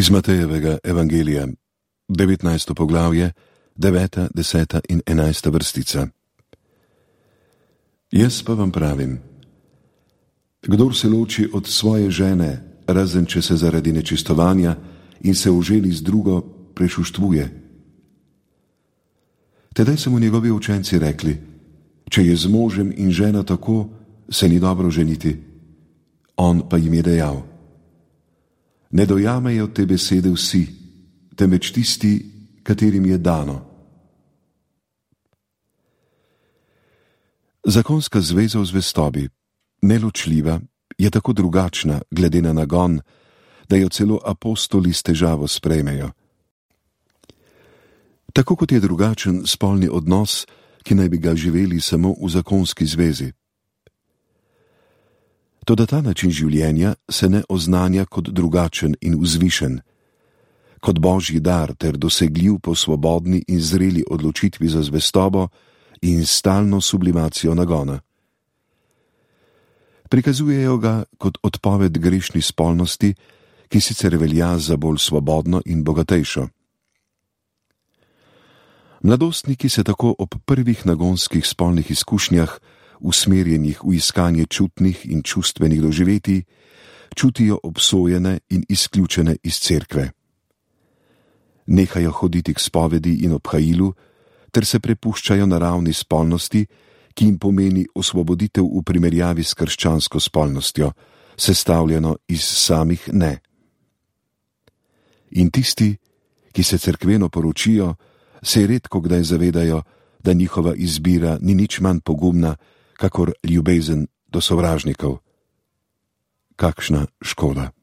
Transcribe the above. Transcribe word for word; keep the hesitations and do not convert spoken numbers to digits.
Iz Matejevega evangelija, devetnajsto poglavje, deveta, deseta in enajsta vrstica. Jaz pa vam pravim, kdor se loči od svoje žene, razen če se zaradi nečistovanja in se oženi z drugo, prešuštvuje. Tedaj so mu njegovi učenci rekli, če je z možem in žena tako, se ni dobro ženiti. On pa jim je dejal, ne dojamejo te besede vsi, temveč tisti, katerim je dano. Zakonska zveza v zvestobi, neločljiva, je tako drugačna glede na nagon, da jo celo apostoli s težavo sprejmejo. Tako kot je drugačen spolni odnos, ki naj bi ga živeli samo v zakonski zvezi. Toda ta način življenja se ne oznanja kot drugačen in vzvišen, kot božji dar ter dosegljiv po svobodni in zreli odločitvi za zvestobo in stalno sublimacijo nagona. Prikazujejo ga kot odpoved grešni spolnosti, ki sicer velja za bolj svobodno in bogatejšo. Mladostniki se tako ob prvih nagonskih spolnih izkušnjah, usmerjenih v iskanje čutnih in čustvenih doživetij, čutijo obsojene in izključene iz cerkve. Nehajo hoditi k spovedi in obhajilu, ter se prepuščajo naravni spolnosti, ki jim pomeni osvoboditev v primerjavi s krščansko spolnostjo, sestavljeno iz samih ne. In tisti, ki se cerkveno poročijo, se redko kdaj zavedajo, da njihova izbira ni nič manj pogumna, kakor ljubezen do sovražnikov. Kakšna škoda.